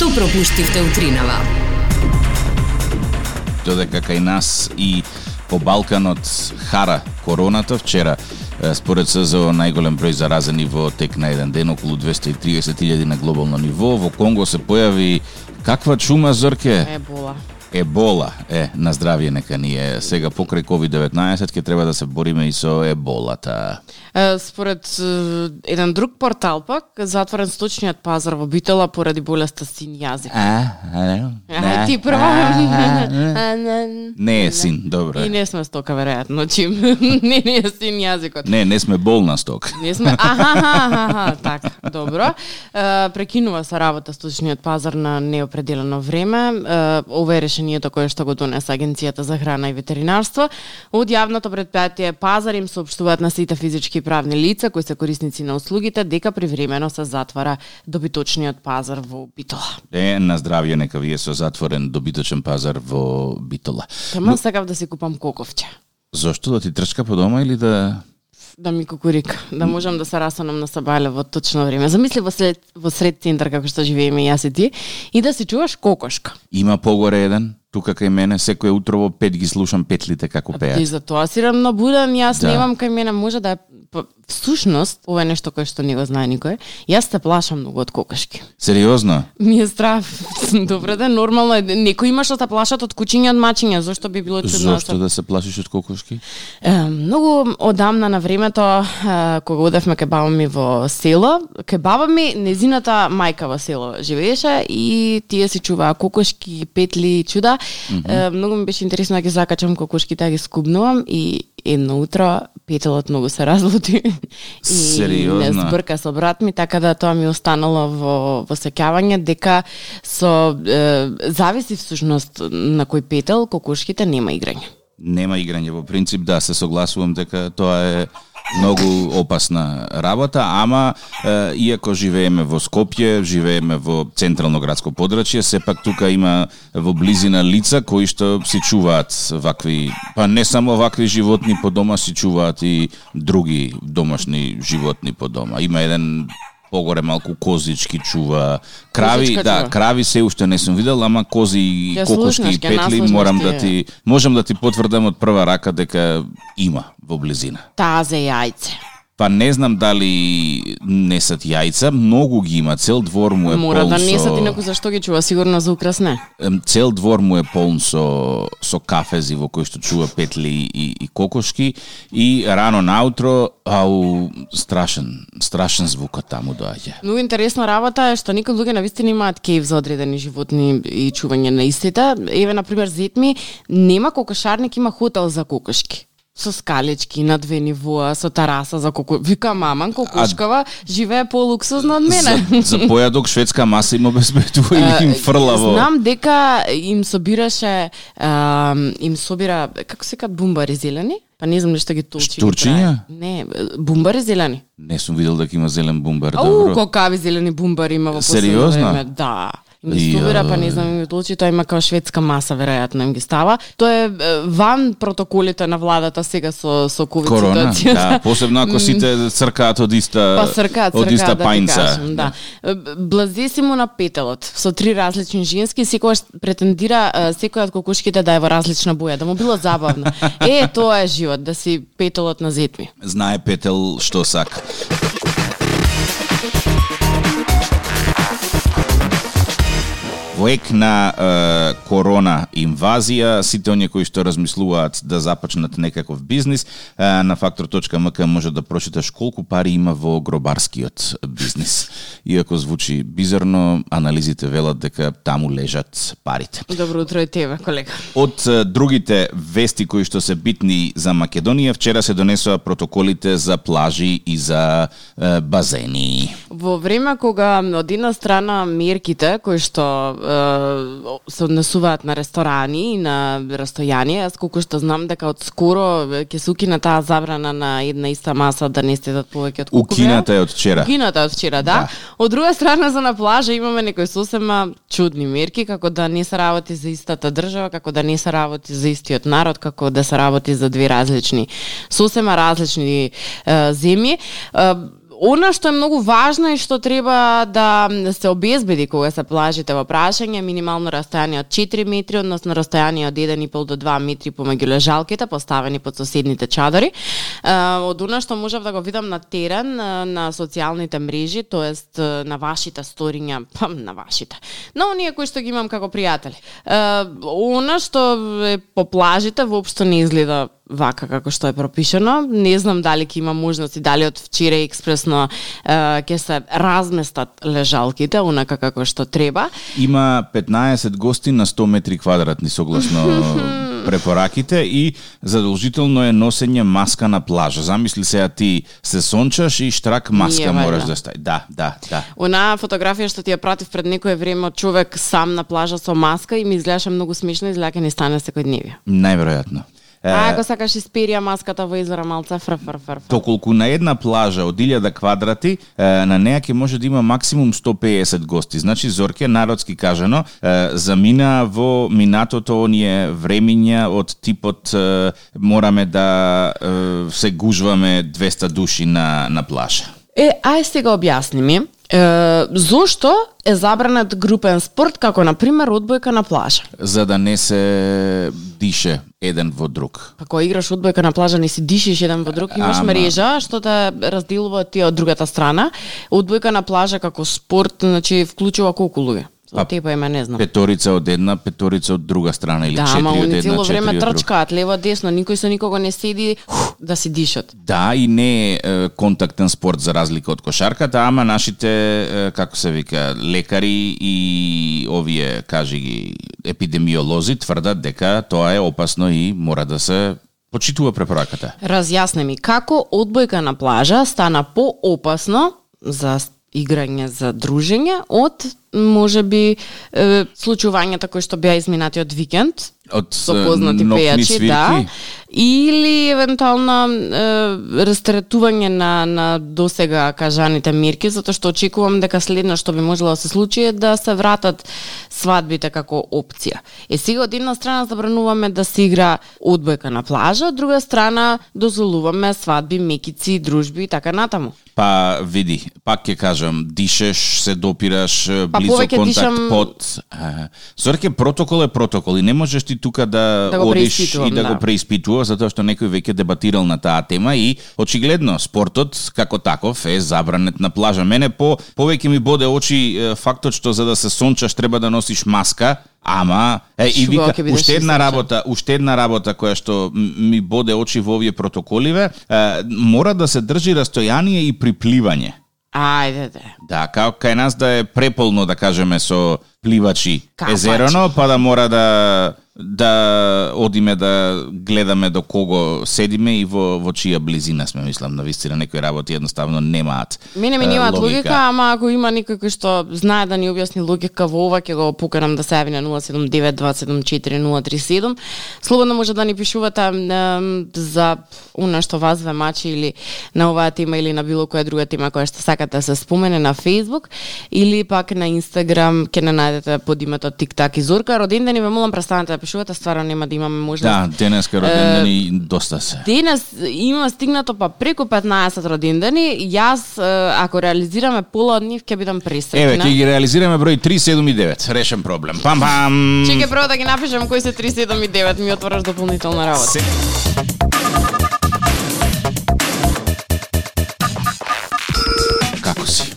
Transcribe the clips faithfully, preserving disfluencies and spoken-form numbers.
Што пропуштивте утринава? Додека кај нас и по Балканот хара короната, вчера според СЗО најголем број заразени во тек на еден ден, околу двесте и триесет илјади на глобално ниво. Во Конго се појави каква чума, Зорке? Ебола. Ебола, е, на здравје нека ни е. Сега покрај ковид деветнаесет ќе треба да се бориме и со еболата. Според еден друг портал пак, затворен сточниот пазар во Битола поради болеста син јазик. А, а, ти прва. Не е син, добро. И не сме стока, веројатно, чим. Не, не е син јазикот. Не, не сме болна стока. Не сме, аха, аха, аха, така, добро. Прекинува се работа сточниот пазар на неопределено време. Ова е решението кое што го донесе Агенцијата за храна и ветеринарство. Од јавното предпријатие Пазар им соопштуваат на сите физички и правни лица кои се корисници на услугите дека привремено се затвара добиточниот пазар во Битола. Е, на здравје нека вие со затворен добиточен пазар во Битола. Тама Но... сакав да си купам коковче. Зошто, да ти трчка по дома или да... Да ми кукурика, да можам да се расанам на Сабале во точно време. Замисли во сред, во сред центар како што живееме јас и ти и да си чуваш кокошка. Има погоре еден, тука кај мене, секој утро во пет ги слушам петлите како пеат. И за тоа си рамнобуден, јас да. Немам кај мене, може да е всушност, ова е нешто кое што не го знае никој. Јас се плашам многу од кокошки. Сериозно? Ми е страв. Добре да, нормално е. Некои има што се плашат од кучиња, од мачиња, зошто би било чудно? Зошто да се плашиш од кокошки? Е, многу одамна на времето, е, кога одевме кај баба ми во село, кај баба ми незината мајка во село живееше и тие си чуваа кокошки, петли, чуда. Mm-hmm. Е, многу ми беше интересно да ги закачам кокошките, да ги скубнувам и едно утро петелот многу се разлути и Сериозно? Не збрка со брат ми, така да тоа ми останало во, во сеќавање дека со е, зависи всушност на кој петел кокошките нема играње. Нема играње, во принцип да, се согласувам дека тоа е многу опасна работа, ама е, иако живееме во Скопје, живееме во централно градско подрачје, сепак тука има во близина лица кои што си чуваат вакви, па не само вакви животни по дома, си чуваат и други домашни животни по дома. Има еден погоре малку козички чува, крави, Козичка да, чува. крави се уште не сум видел, ама кози и Ја кокошки слушнаш, и ќе петли наслушнаш морам ти. да ти можам да ти потврдам од прва рака дека има во близина. Тазе јајце. Па не знам дали несат јајца, многу ги има, цел двор му е Мора полн да со... несат и некој зашто ги чува, сигурно за украс не. Ем, Цел двор му е полн со, со кафези во кои што чува петли и, и кокошки и рано наутро, ау, страшен, страшен звукот таму доаѓа. Многу интересна работа е што некои луѓе навистина имаат кејф за одредени животни и чување на истите. Еве, например, зет ми нема кокошарник, има хотел за кокошки. Со скалечки на две нивоа, со тараса за кокошки. Вика, маман, кокошкава живее по-луксузно од мене. За, за појадок шведска маса им обезбедува или им фрла во... Знам дека им собираше, а, им собира, како се кат бумбари зелени? Па не знам нешто ги толчи. Штурчиња? Не, бумбари зелени. Не сум видел дека има зелен бумбар, Ау, добро. колкави зелени бумбари има во последно Сериозно? време. Да. Им ги собира, па не знам, им ги толчи, тоа има као шведска маса, веројатно им ги става. Тоа е ван протоколите на владата сега со со ковид Корона, ситуацијата. да, посебно ако сите цркаат од иста Па цркаат, од иста цркаат, да ти пајнца. кажам, да. Блазесимо на петелот, со три различни женски, секојаш претендира секоја од кокошките да е во различна боја, да му било забавно. Е, тоа е живот, да си петелот на зетми. Знае петел што сака. Во ек на е, корона инвазија, сите оние кои што размислуваат да започнат некаков бизнис, е, на фактор точка ем ка може да прочиташ колку пари има во гробарскиот бизнис. Иако звучи бизарно, анализите велат дека таму лежат парите. Добро утро и тебе, колега. Од е, другите вести кои што се битни за Македонија, вчера се донесоа протоколите за плажи и за е, базени. Во време кога од една страна мерките кои што е, се однесуваат на ресторани и на растојание, јас колку што знам дека од скоро ќе се укина таа забрана на една иста маса да не седат повеќе од кукове. Укината е од вчера. Укината е од вчера, да. Да. Од друга страна за на плажа имаме некои сосема чудни мерки, како да не се работи за истата држава, како да не се работи за истиот народ, како да се работи за две различни, сосема различни е, земји. Е, Она што е многу важно и што треба да се обезбеди кога се плажите во прашање, минимално растојание од четири метри, односно растојание од еден и пол до два метри помеѓу лежалките поставени под соседните чадори. Од она што можев да го видам на терен, на социјалните мрежи, тоест на вашите сториња, па на вашите, но оние кои што ги имам како пријатели. Она што е по плажите воопшто не изгледа вака како што е пропишано. Не знам дали ќе има можност и дали од вчера експресно ќе се разместат лежалките онака како што треба. Има петнаесет гости на сто метри квадратни согласно препораките и задолжително е носење маска на плажа. Замисли сега ти се сончаш и штрак маска Nije, мораш valjda. да стај. Да, да, да. Она фотографија што ти ја пратив пред некое време од човек сам на плажа со маска и ми изгледаше многу смешно, изгледа ќе не стане секојдневие. Најверојатно. А ако сакаш исперија маската во извора малце фр фр фр. Токолку на една плажа од илјада квадрати, на неа ќе може да има максимум сто пеесет гости. Значи, Зорке, народски кажано, замина во минатото оние времиња од типот мораме да се гужваме двеста души на, на плажа. Е, ај сега објасни ми, е, зошто е забранет групен спорт, како, например, одбојка на плажа? За да не се дише еден во друг. Ако играш одбојка на плажа, не си дишиш еден во друг, имаш Ама... мрежа што те разделува тие од другата страна. Одбојка на плажа како спорт, значи, вклучува колку луѓе? Од типа има, не знам. Петорица од една, петорица од друга страна или да, четири од една, Да, ама цело четири време од друга. трчкаат лево десно, никој со никого не седи хух, да си дишат. Да, и не е контактен спорт за разлика од кошарката, ама нашите, е, како се вика, лекари и овие, кажи ги, епидемиолози тврдат дека тоа е опасно и мора да се почитува препораката. Разјасни ми, како одбојка на плажа стана поопасно за играње, за дружење од можеби е, случувањата кои што беа изминатиот викенд од со познати нокни пејачи, свирки? да, или евентуално е, растретување на на досега кажаните мерки, затоа што очекувам дека следно што би можело да се случи е да се вратат свадбите како опција. Е сега од една страна забрануваме да се игра одбојка на плажа, од друга страна дозволуваме свадби, мекици, дружби и така натаму. Па види, пак ќе кажам, дишеш, се допираш, Па, близо повеќе контакт, дишам... под... Зорке, протокол е протокол и не можеш ти тука да, Да го одиш преиспитувам, и да, да. го преиспитуваш, затоа што некој веќе дебатирал на таа тема и очигледно спортот како таков е забранет на плажа. Мене по повеќе ми боде очи е, фактот што за да се сончаш треба да носиш маска, ама е, и Шубаво вика ќе бидеш уште една сончен. работа, уште една работа која што ми боде очи во овие протоколиве, е, мора да се држи растојание и при пливање. Ајде, де. Да, као кај нас да е преполно, да кажеме, со пливачи Капачи. езерано, па да мора да да одиме да гледаме до кого седиме и во во чија близина сме, мислам, на вистина некои работи едноставно немаат. Мене ми е, немаат логика, ама ако има некој кој што знае да ни објасни логика во ова, ќе го покарам да се јави на нула седум девет два седум четири нула три седум. Слободно може да ни пишувате ем, за она што вас ве мачи или на оваа тема или на било која друга тема која што сакате да се спомене на Facebook или пак на Instagram, ќе не најдете под името Тик-так и Зорка. Родендени ве молам, престанете да пишувате, стварно нема да имаме можност. Да, денеска родендени доста се. Денес има стигнато па преку петнаесет родендени. Јас, е, ако реализираме пола од нив, ќе бидам пресреќна. Еве, ќе ги реализираме број три, седум и девет. Решен проблем. Пам пам. Чекај прво да ги напишам кои се три, седум и девет, ми отвораш дополнителна работа. Се... Како си?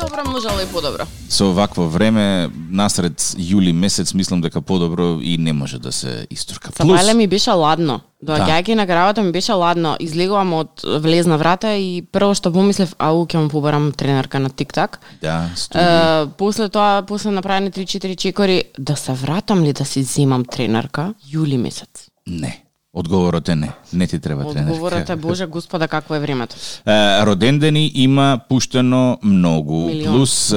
Добро, можело и подобро. Со вакво време, насред јули месец, мислам дека подобро и не може да се истурка. Сабајле ми беше ладно. Доаѓајќи на гравата ми беше ладно. Излегувам од влезна врата и прво што помислев, ау, ќе му побарам тренерка на Тик-так. Да, студи. Uh, после тоа, после направени три-четири чекори, да се вратам ли да си земам тренерка? Јули месец. Не. Одговорот е не. Не ти треба тренерка. Одговорот е, Боже Господа, какво е времето. Е, родендени има пуштено многу. Милион. Плюс е,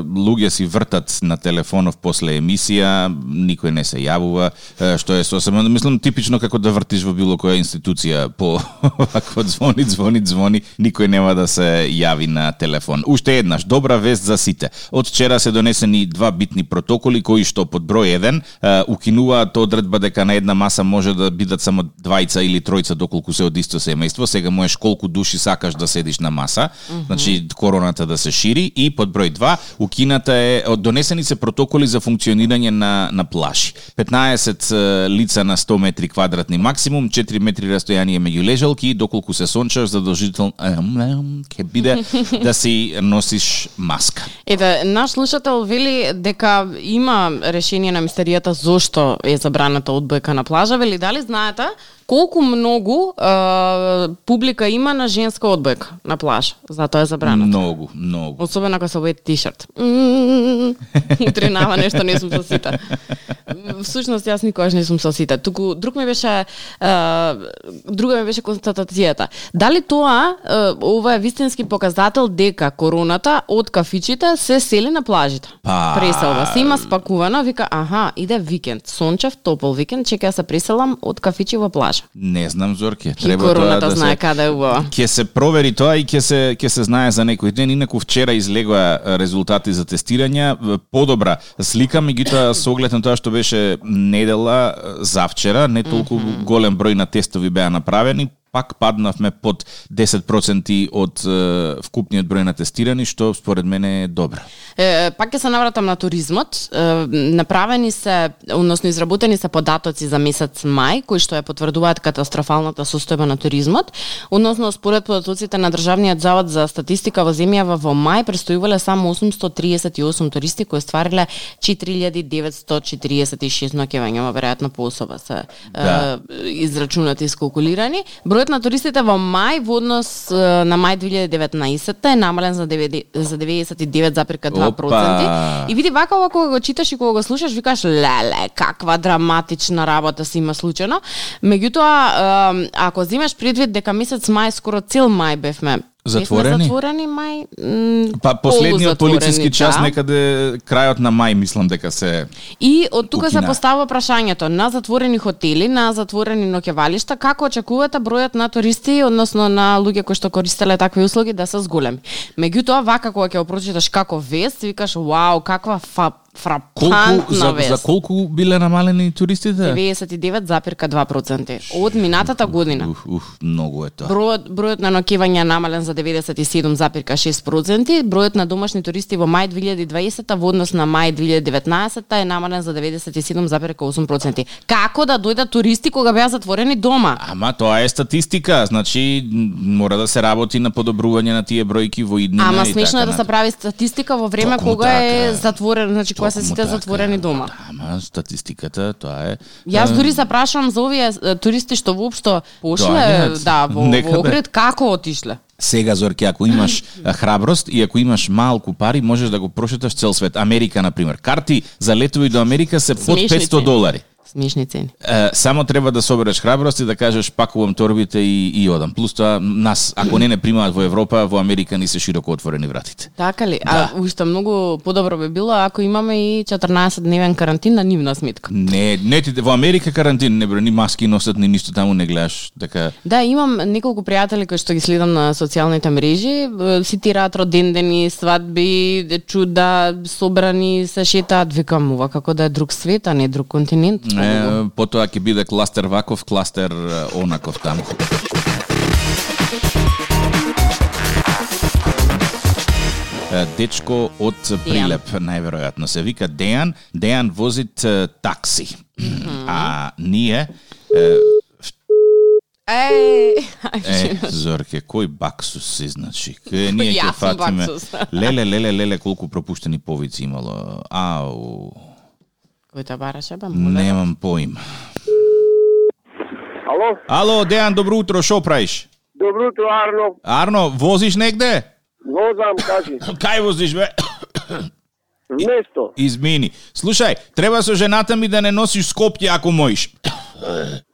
луѓе си вртат на телефонов после емисија, никој не се јавува, е, што е сосема, мислам, типично како да вртиш во било која институција по вакво звони, звони, звони, никој нема да се јави на телефон. Уште еднаш, добра вест за сите. Од вчера се донесени два битни протоколи кои што под број еден е, укинуваат одредба дека на една маса може да бидат само само двајца или тројца доколку се од исто семејство, сега можеш колку души сакаш да седиш на маса, mm-hmm. значи короната да се шири и под број два, укината е донесени се протоколи за функционирање на на плажи. петнаесет лица на сто метри квадратни максимум, четири метри растојание меѓу лежалки и доколку се сончаш задолжително ќе биде да си носиш маска. Ете, наш слушател вели дека има решение на мистеријата зошто е забраната одбојка на плажа. Вели, дали знаете колку многу е, публика има на женска одбојка на плаж? Затоа е забраната. Многу, многу. Особено ако се обуе тишерт. Утринава нешто, не сум со сите. Всушност јас никогаш не сум со сите. Туку друг ми беше е, друга ми беше констатацијата. Дали тоа е, ова е вистински показател дека короната од кафичите се сели на плажите? Па... Преселва се, има спакувано, вика, аха, иде викенд, сончев, топол викенд, чека ја се преселам од кафичи во плажа. Не знам, Зорке, треба тоа короната да знае се... каде е убава. Ќе се провери тоа и ќе се ќе се знае за некој ден. Инаку вчера излегоа резултати за тестирања, подобра слика, меѓутоа со оглед на тоа што беше недела завчера, не толку mm-hmm. голем број на тестови беа направени, пак паднавме под десет проценти од е, вкупниот број на тестирани, што според мене е добро. Е, пак ќе се навратам на туризмот. Е, направени се, односно изработени се податоци за месец мај, кои што ја потврдуваат катастрофалната состојба на туризмот. Односно, според податоците на Државниот завод за статистика во земјава во мај престојувале само осумстотини триесет и осум туристи кои ствариле четири илјади деветстотини четириесет и шест ноќевања, веројатно по особа се да. е, израчунати и скалкулирани. Бројот на туристите во мај во однос на мај две илјади и деветнаесетта е намален за деветдесет и девет зарез два проценти. И види вака ова кога го читаш и кога го слушаш, викаш леле, каква драматична работа се има случено. Меѓутоа, ако земеш предвид дека месец мај, скоро цел мај бевме затворени? Затворени мај. М, па последниот полициски час да. Некаде крајот на мај мислам дека се И од тука укина. се поставува прашањето на затворени хотели, на затворени ноќевалишта, како очекувате бројот на туристи, односно на луѓе кои што користеле такви услуги да се зголеми. Меѓутоа, вака кога ќе го прочиташ како вест, викаш вау, каква фа фрапантна за, вест. за колку биле намалени туристите? деветдесет и девет зарез два проценти од минатата година. Уф, уф, многу е тоа. Бројот, бројот на ноќевања намален за деветдесет и седум зарез шест проценти, бројот на домашни туристи во мај две илјади и дваесетта во однос на мај две илјади и деветнаесетта е намален за деветдесет и седум зарез осум проценти. Како да дојдат туристи кога беа затворени дома? Ама тоа е статистика, значи мора да се работи на подобрување на тие бројки во иднина. Ама и смешно така, е да се прави статистика во време Токму кога така, е затворен, значи кога се сите така, затворени дома. Ама статистиката тоа е. Јас дури се прашувам за овие туристи што воопшто пошле, Доаѓаат. да, во, Некаде. во Оград, како отишле? Сега, Зорке, ако имаш храброст и ако имаш малку пари, можеш да го прошеташ цел свет. Америка, например. Карти за летови до Америка се под Смешни петсто цени. долари. Смешни цени. Е, само треба да собереш храброст и да кажеш пакувам торбите и, и одам. Плюс тоа, нас, ако не не примаат во Европа, во Америка ни се широко отворени вратите. Така ли? Да. А уште многу подобро би било ако имаме и четрнаесет дневен карантин на нивна сметка. Не, не ти во Америка карантин, не бре, ни маски носат, ни ништо таму не гледаш, така. Да, имам неколку пријатели кои што ги следам на социјалните мрежи, цитираат родендени, свадби, чуда, собрани, се шетаат, викам ова како да е друг свет, а не друг континент. Е, потоа ќе биде кластер ваков, кластер онаков таму. Дечко од Прилеп, најверојатно се вика Дејан. Дејан возит е, такси. Mm-hmm. А ние е, Еј, е, Зорке, кој баксус си, значи? Кај ние ќе Јас сум фатиме. баксус. Леле, леле, леле, колку пропуштени повици имало. Ау. Кој те бараше, бе? Немам поим. Ало? Ало, Дејан, добро утро, шо правиш? Добро утро, Арно. Арно, возиш негде? Возам, кажи. Кај возиш, бе? Вместо. Измини. Слушај, треба со жената ми да не носиш Скопје ако можеш.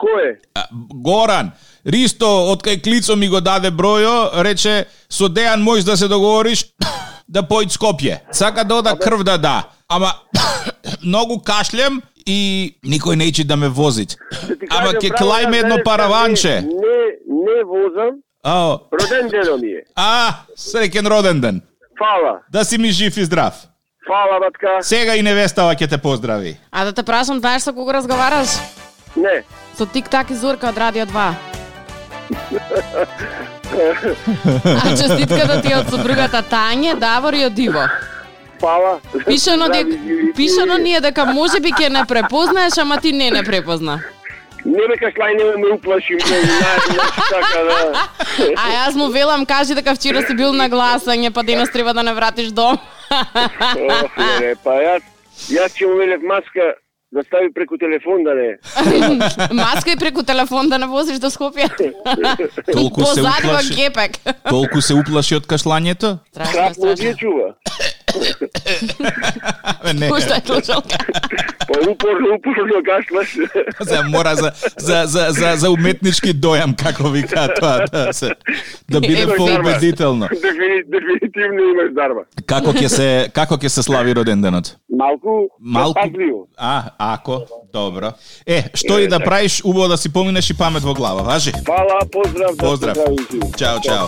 Кој е? А, Горан, Ристо, од кај Клицо ми го даде бројо, рече, со Дејан можеш да се договориш да појд Скопје. Сака да ода крв да да. Ама, многу кашлем и никој неće да ме возит. Ама ке клајме едно параванче. Не, не возам. Ао. Роден ден ми е. А, среќен роден ден. Фала. Да си ми жив и здрав. Фала, батка. Сега и невестава ќе те поздрави. А да те прашам, знаеш со кого разговараш? Не. Со Тик-так и Зорка од Радио два. А честитката ти од сопругата Тање, Давор и од Иво. Фала. Пишано, дека, пишано ни е дека може би ќе не препознаеш, ама ти не не препозна. Не ме кашлај, не ме уплаши, ме знаеш така да. А јас му велам, кажи дека вчера си бил на гласање, па денес треба да не вратиш дом. Ох, не, па јас, јас ќе му велев маска да стави преку телефон, да не. Маска и преку телефон да не возиш до Скопје. Толку се Позади во уплаши. гепек. Толку се уплаши од кашлањето? Страшно, Крат му страшно. ги чува. Не. Пушта е слушалка. Па упорно, упорно кашлаш. За мора за за за за за уметнички дојам, како вика тоа, да се да биде Е, поубедително. Дефини, дефинитивно имаш дарба. Како ќе се како ќе се слави роденденот? Малку, Малку. пазливо. А, ако, добро. Е, што и да правиш, убаво да си поминеш и памет во глава, важи? Фала, поздрав. да Поздрав. се здравим. Чао, чао.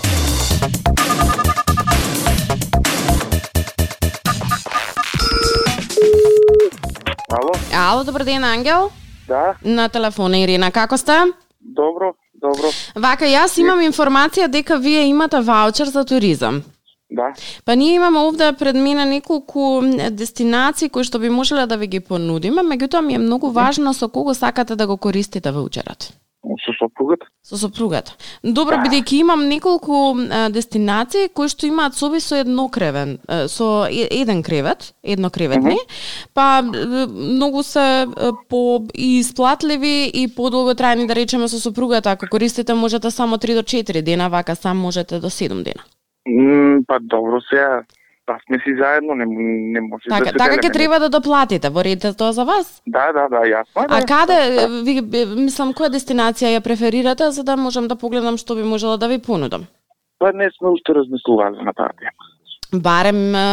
Ало? Ало, добар ден, Ангел. Да, На телефона Ирина, како сте? добро, добро. Вака, јас имам информација дека вие имате ваучер за туризам. Да. Па ние имаме овде пред мене неколку дестинации кои што би можеле да ви ги понудиме, меѓутоа ми е многу важно со кого сакате да го користите ваучерот. Со сопругата? Со сопругата. Добро, бидејќи имам неколку а, дестинации кои што имаат соби со еднокревен, а, со е- еден кревет, еднокреветни, mm -hmm. па е, многу се е, по и исплатливи и подолготрајни, да речеме, со сопругата. Ако користите можете само три до четири дена, вака сам можете до седум дена. М, па добро сега, па сме си заедно, не, не може Така, да се така делиме. ќе треба да доплатите. Во ред е тоа за вас? Да, да, да, јасно е. А да. каде, ви, би- мислам, која дестинација ја преферирате, за да можам да погледам што би можела да ви понудам? Па не сме уште размислували на таа тема. Барем е,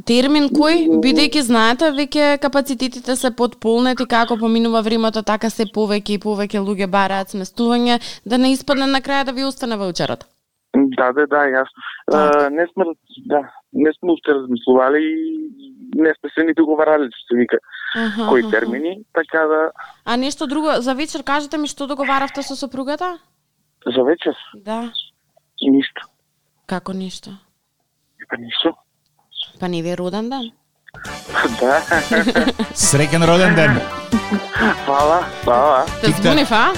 термин кој, бидејќи знаете, веќе капацитетите се потполнети, како поминува времето, така се повеќе и повеќе луѓе бараат сместување, да не испадне на крај да ви остане ваучерот. Да, да, да, јасно. А, не сме, да, не сме уште размислували и не сме се ни договарали, што се вика, Аха, кои аха. термини, така да, А нешто друго, за вечер кажете ми што договаравте со сопругата? за вечер, Да, ништо. како ништо? Па ништо. Па не ви е роден ден? Да, Среќен роден ден. фала, фала. Те Тик-так. збунив, а?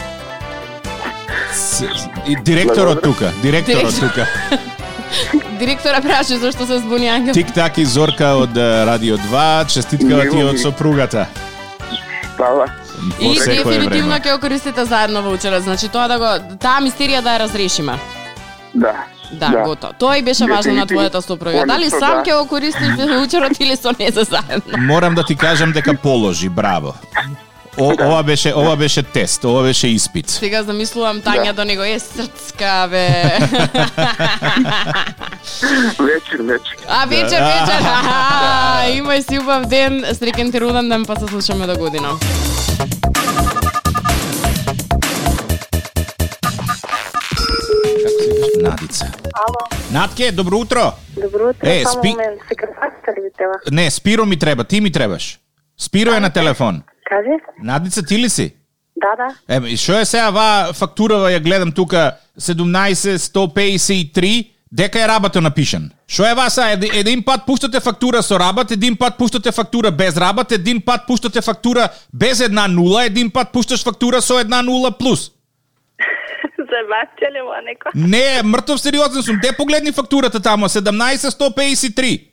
С- И директорот тука, директорот Директор. тука. Директора праши зашто се збуни Ангел. Тик-так и Зорка од е, Радио два, честиткава ти од сопругата. Фала. Во И секое дефинитивно време. ќе го користите заедно ваучерот, значи тоа да го таа мистерија да ја разрешиме. Да. Да, да. Готово. Тоа и беше важно на твојата сопруга. Дали Конечно, сам да. ќе го користиш ваучерот или со незе заедно? Морам да ти кажам дека положи, браво. О, ова беше ова беше тест, ова беше испит. Сега замислувам Тања Да. до него е срцка бе. Вечер, вечер. А вечер, вечер. Аха, имај си убав ден, среќен ти роден ден, па се слушаме до година. Како се викаш? Надица. Ало, Натке, добро утро. добро утро, Е, само спи- момент, секретарката ли ви треба? Не, Спиро ми треба, ти ми требаш. Спиро е на телефон. Кажи? Надица, ти ли си? Да, да. Еме, што е сега ова фактурава, ја гледам тука седумнаесет сто пеесет и три, дека е рабато напишан. Што е васа, Еди- един пат пуштате фактура со рабат, един пат пуштате фактура без рабат, един пат пуштате фактура без една нула, един пат пушташ фактура со една нула плюс. Забавте ли ма некој? Не, мртов сериозен сум. Де погледни фактурата тамо, седумнаесет сто пеесет и три.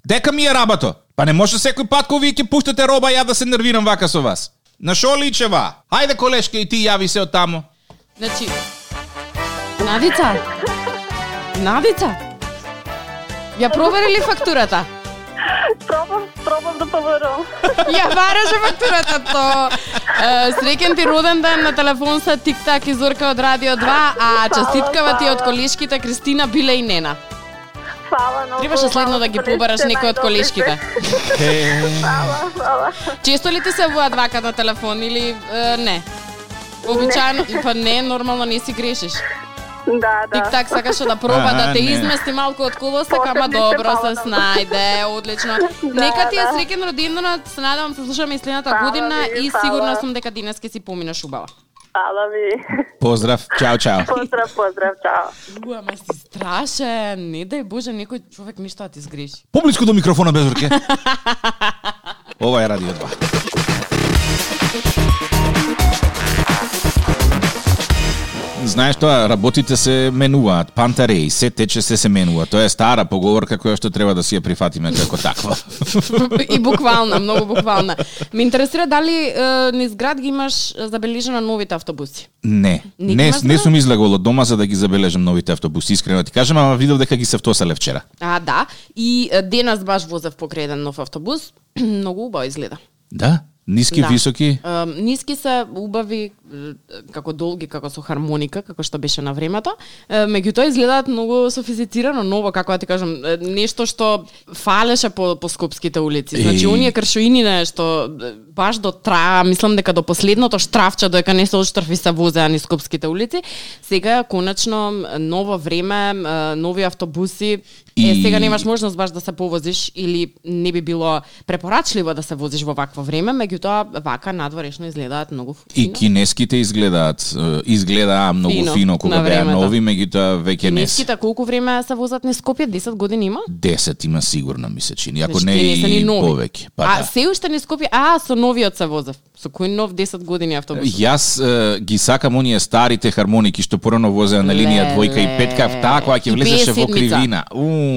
Дека ми е рабато? Па не може секој пат кога вие ќе пуштате роба ја да се нервирам вака со вас. На шо личева? Хајде колешка и ти јави се од тамо. Значи, Надица? Надица? Ја провери ли фактурата? Пробам, пробам да поверувам. Ја бараше фактурата то. Е, Среќен ти роден ден, на телефон са Тик-так и Зорка од Радио два, а честиткава ти од колешките Кристина, Биле и Нена. Фала многу. Требаше следно да ги побараш некој од колешките. Фала, фала. Често ли ти се воат вака на телефон или е, не? Обичајно, па не, нормално не си грешиш. Да, да. Тик-так сакаше да проба Аха, да те не. измести малку од колосек, ама Посебни се добро фала се на снајде, одлично. Да, Нека ти е да. среќен роденденот, се надевам се слушаме и следната Фала година ви, и фала. сигурна сум дека денес ќе си поминеш убаво. Фала ви. Поздрав, чао, чао. Поздрав, поздрав, чао. У, ама си страшен. Не дај Боже некој човек ништо да ти сгреши. Поблиску до микрофона, Безурке. Ова е Радио два. Знаеш тоа, работите се менуваат, пантареи, се тече се се менува. Тоа е стара поговорка која што треба да си ја прифатиме како таква. И буквална, многу буквална. Ме интересира дали е, низ град ги имаш забележено новите автобуси? Не, Не ги не, имаш, не да? сум излегол од дома за да ги забележам новите автобуси, искрено ти кажам, ама видов дека ги се втосале вчера. А, да. И е, денес баш возев покрај еден нов автобус. Многу убаво изгледа. Да? Ниски, Да. високи? Е, ниски се убави, е, како долги, како со хармоника, како што беше на времето. Е, меѓутоа изгледаат многу софистицирано, ново, како да ти кажам, е, нешто што фалеше по, по скопските улици. Значи, Еј. оние кршоинine што е, баш до траа, мислам дека до последното штрафче, додека не се отштрафи се возеа низ скопските улици, сега конечно ново време, е, нови автобуси. Е, И- сега немаш можност баш да се повозиш или не би било препорачливо да се возиш во вакво време, меѓутоа вака надворешно изгледаат многу И фино. кинеските изгледаат, е, изгледаа многу Фино, фино, кога на беа времето. нови, меѓутоа веќе не се. Кинеските колку време се возат низ Скопје? десет години има? десет има сигурно, ми се чини, ако Значи, не тие не се ни и нови. повеќе. Па а да. се уште низ Скопје, а со новиот се возев. Со кој нов десет години автобус? Јас е, ги сакам оние старите хармоники што порано возеа на линија двојка и петка, таа која ќе И влезеше во петдесет кривина. Уу.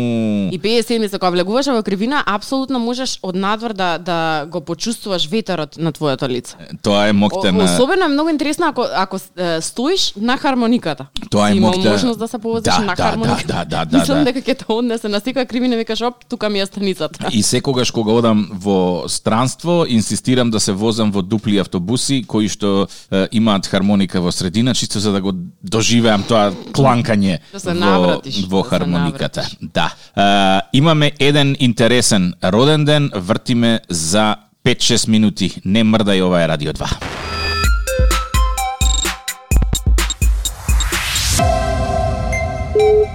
И петдесет седмица кога влегуваш во кривина, апсолутно можеш од надвор да да го почувствуваш ветерот на твоето лице. Тоа е О, моќта на особено е многу интересно ако ако е, стоиш на хармониката. Тоа е Си имал моќта- можност да се повозиш Да, на да, хармоника. да, да, да, Мислам да. дека ќе те однесе на секоја кривина и викаш оп, тука ми е станицата. И секогаш кога одам во странство, инсистирам да се возам во дупли автобуси кои што е, имаат хармоника во средина, чисто за да го доживеам тоа кланкање Да се во, навратиш, во да се хармониката. навратиш. Да. Е, имаме еден интересен роден ден, вртиме за пет-шест минути. Не мрдај, ова е Радио два.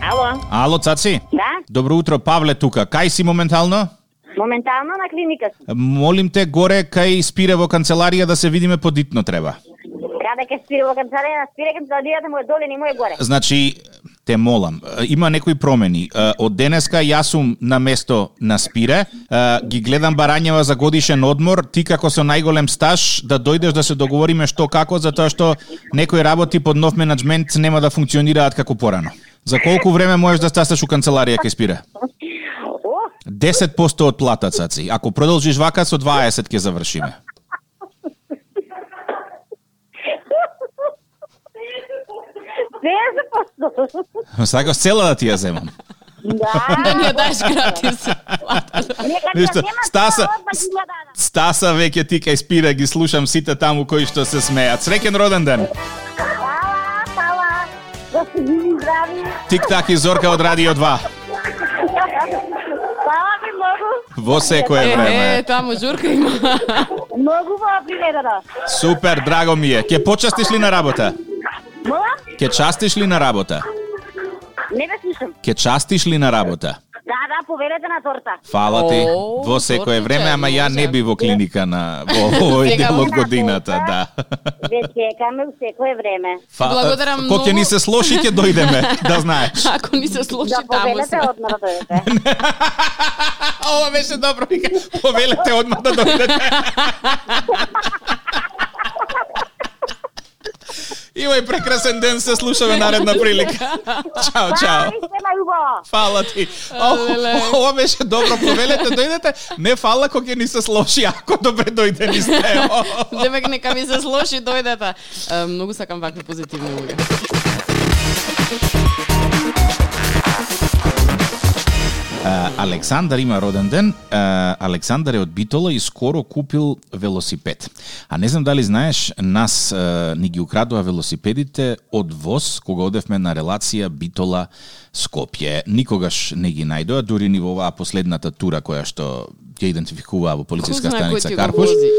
Ало, Ало, цаци? да? Добро утро, Павле тука. Кај си моментално? Моментално на клиника сум. Молим те горе кај Спире во канцеларија да се видиме подитно треба. Каде ке спире во канцеларија, спире канцеларијата му е доле, не му е горе. Значи, те молам, има некои промени. Од денеска јас сум на место на Спире, ги гледам барањева за годишен одмор, ти како со најголем стаж да дојдеш да се договориме што како, затоа што некои работи под нов менаџмент нема да функционираат како порано. За колку време можеш да стасаш у канцеларија кај Спире? О, десет посто од плата, цаци. Ако продолжиш вака, со дваесет ќе завршиме. десет посто. Сакаш цела да ти ја земам. Да. Да ни ја даш гратис. Нека ти Ништо, ја нема Стаса, тоа, одма ги ја дадам. Стаса веќе ти кај Спира ги слушам сите таму кои што се смеат. Среќен роден ден. Фала, фала. Да се живи здрави. Тик-так и Зорка од Радио два. Фала ви многу. Во секое Е, време. е, таму журка има. Многу во приведата. Супер, драго ми е. Ке почастиш ли на работа? Мола? Ке частиш ли на работа? Не ве слушам. Ке частиш ли на работа? Да, да, повелете на торта. Фала ти. О, Во секое тортиче, време, ама ја не може. би во клиника на во овој Сега дел од на годината, торта. да. Ве чекаме у секое време. Фа- Благодарам Ко ќе многу. ни се слоши ќе дојдеме, да знаеш. Ако ни се слуши Да таму повелете се. одма да дојдете. Ова беше добро, вика. Повелете одма да дојдете. Имај прекрасен ден, се слушаме наредна прилика. Чао, чао. Фала ви се на убаво. Фала ти. О, леле. ова беше добро, повелете, дојдете. Не фала кога ќе ни се слоши, ако добре дојде ни сте. Демек нека ми се слоши дојдете. Е, Многу сакам вакви позитивни луѓе. Uh, Александар има роден ден. Uh, Александар е од Битола и скоро купил велосипед. А не знам дали знаеш, нас uh, ни ги украдува велосипедите од ВОЗ кога одевме на релација Битола Скопје. Никогаш не ги најдоа, дури ни во оваа последната тура која што ќе идентификуваа во полициска Ко знае кој станица ти го Карпуш. вози?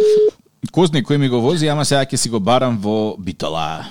Кој знае кој ми го вози, ама сега ќе си го барам во Битола.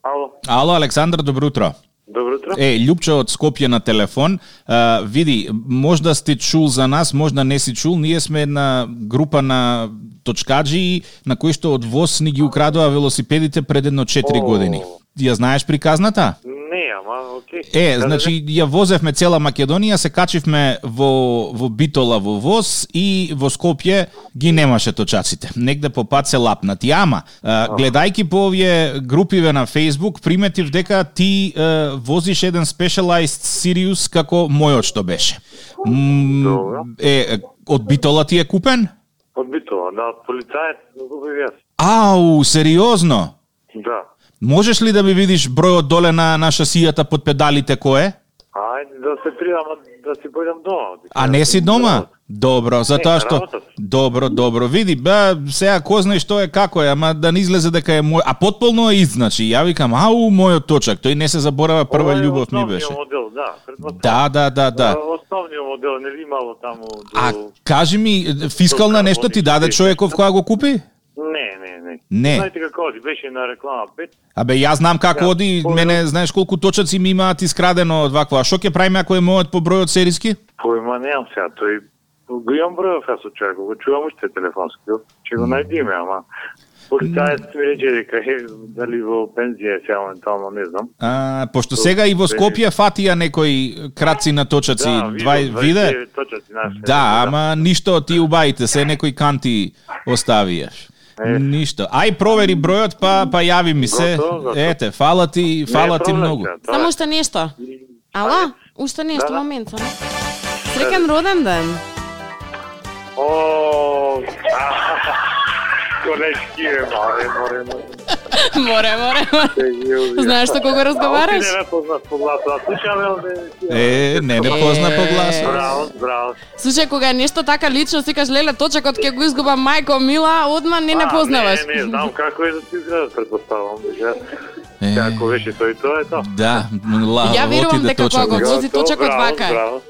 Ало, Ало, Александар, добро утро. добро утро. Е, Љупчо од Скопје на телефон. А, види, можда сте чул за нас, можда не си чул. Ние сме една група на точкаджи на кои што од ВОС ни ги украдоа велосипедите пред едно четири години. Ја знаеш приказната? Не, ама окей. Е, значи ја возевме цела Македонија, се качивме во во Битола во ВОС и во Скопје ги немаше точаците. Негде по пат се лапнати. Ама, а, гледајки по овие групиве на Facebook, приметив дека ти а, возиш еден Specialized Sirius како мојот што беше. М, е, од Битола ти е купен? Од Битола, да, од полицаец го би јас. Ау, сериозно? Да. Можеш ли да ми видиш бројот доле на, на шасијата под педалите кој е? Ајде да се придам, да си појдам дома. А не си дома? Добро, затоа што... Добро, добро. Види, бе, сега кој знае што е, како е, ама да не излезе дека е мој... А потполно е ист, значи. Ја викам, ау, мојот точак. Тој не се заборава, прва љубов ми беше. Модел, да, да, да, да, да. Основниот модел, не ли имало таму... До... А кажи ми, фискална нешто ти даде човеков која го купи? Не, не, не. Не. Знаете како оди, беше на реклама пет. Абе, јас знам како оди, по... мене, знаеш колку точаци ми имаат искрадено од вакво. А шо ќе правиме ако е мојот по бројот сериски? Појма немам сега, тој го имам бројов јас од човек, го чувам уште телефонски, ќе го најдиме, ама полицаец ми рече дека е, дали во пензија сега моментално, не знам. А, пошто сега и во Скопје фатија некои краци на точаци, да, двај виде? Точаци наши. Да, ама ништо ти убаите, се некои канти оставиеш. Е. Ништо. Ај провери бројот, па па јави ми се. Готово, готово. Ете, фала ти, фала ти многу. Само уште нешто. Ала? Уште нешто, да, да. момент само. Среќен роден ден. О, колешки е, море, море, море. Море, море, море. Знаеш што кога разговараш? Не ме познаш по гласу, а слушаме Е, не не позна по гласу. Браво, браво. Слушај, кога е нешто така лично, си кажеш, леле, точакот ќе го изгубам мајко мила, одма не не познаваш. Не, не, знам како е да ти изгледа, предпоставам. Како беше тој, тоа е тоа. Да, ла, Ја верувам отиде дека кога го точак. вози точакот вака. Браво,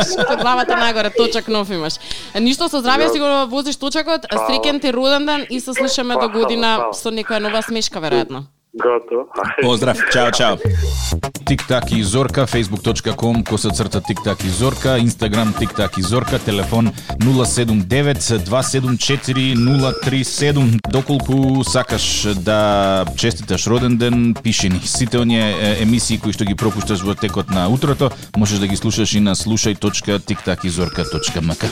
Со главата нагоре, точак нов имаш. Ништо со здравје си го возиш точакот, среќен ти роден ден и се слушаме до година со некоја нова смешка веројатно. Готово. Поздрав, чао, чао. Тик-так и Зорка, facebook точка com, коса црта Тик-так и Зорка, Инстаграм Тик-так и Зорка, телефон нула седум девет два седум четири нула три седум. Доколку сакаш да честиташ роден ден, пиши ни. Сите оние емисии кои што ги пропушташ во текот на утрото, можеш да ги слушаш и на слушај точка тик так и зорка точка ем ка.